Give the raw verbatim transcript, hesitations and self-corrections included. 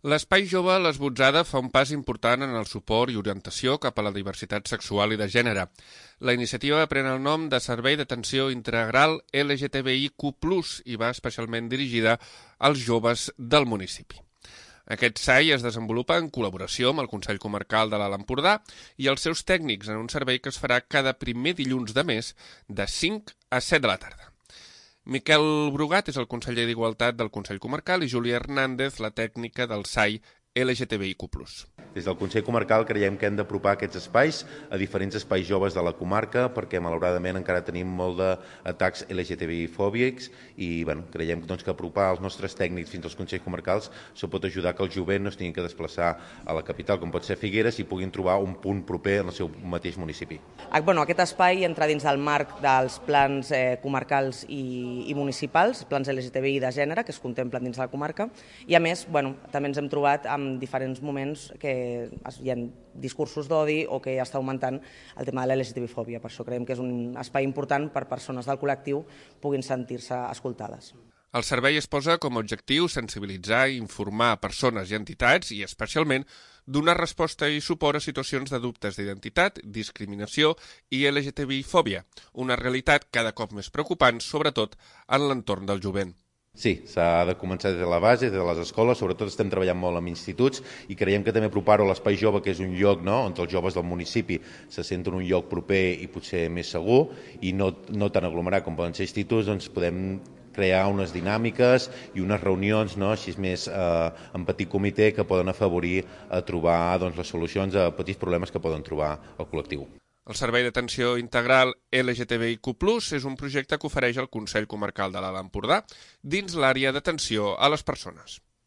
L'Espai Jove L'Esbotzada fa un pas important en el suport i orientació cap a la diversitat sexual i de gènere. La iniciativa pren el nom de Servei d'Atenció Integral L G T B I Q plus, i va especialment dirigida als joves del municipi. Aquest S A I es desenvolupa en col·laboració amb el Consell Comarcal de l'Alt Empordà i els seus tècnics en un servei que es farà cada primer dilluns de mes de cinc a set de la tarda. Miquel Brugat és el conseller d'Igualtat del Consell Comarcal i Júlia Hernández, la tècnica del S A I L G T B I Q plus. Des del Consell Comarcal creiem que hem d'apropar aquests espais a diferents espais joves de la comarca perquè malauradament encara tenim molt d'atacs L G T B I fòbics i bueno, creiem doncs, que apropar els nostres tècnics fins als Consells Comarcals això pot ajudar que el jovent no es tingui que desplaçar a la capital, com pot ser Figueres, i puguin trobar un punt proper en el seu mateix municipi. Bueno, aquest espai entra dins del marc dels plans eh, comarcals i, i municipals, plans L G T B I de gènere que es contemplen dins de la comarca, i a més bueno, també ens hem trobat amb diferents moments que hi ha discursos d'odi o que ja està augmentant el tema de la L G T B I fòbia. Per això creiem que és un espai important per persones del col·lectiu puguin sentir-se escoltades. El servei es posa com a objectiu sensibilitzar i informar persones i entitats i, especialment, donar resposta i suport a situacions de dubtes d'identitat, discriminació i L G T B I fòbia, una realitat cada cop més preocupant, sobretot en l'entorn del jovent. Sí, s'ha de començar des de la base, des de les escoles, sobretot estem treballant molt amb instituts i creiem que també apropar-ho a l'Espai Jove, que és un lloc no, on els joves del municipi se senten un lloc proper i potser més segur i no, no tan aglomerat com poden ser instituts, doncs podem crear unes dinàmiques i unes reunions no, així més eh, en petit comitè que poden afavorir a trobar doncs, les solucions a petits problemes que poden trobar el col·lectiu. El Servei d'Atenció Integral L G T B I Q plus és un projecte que ofereix el Consell Comarcal de l'Alt Empordà dins l'àrea d'atenció a les persones.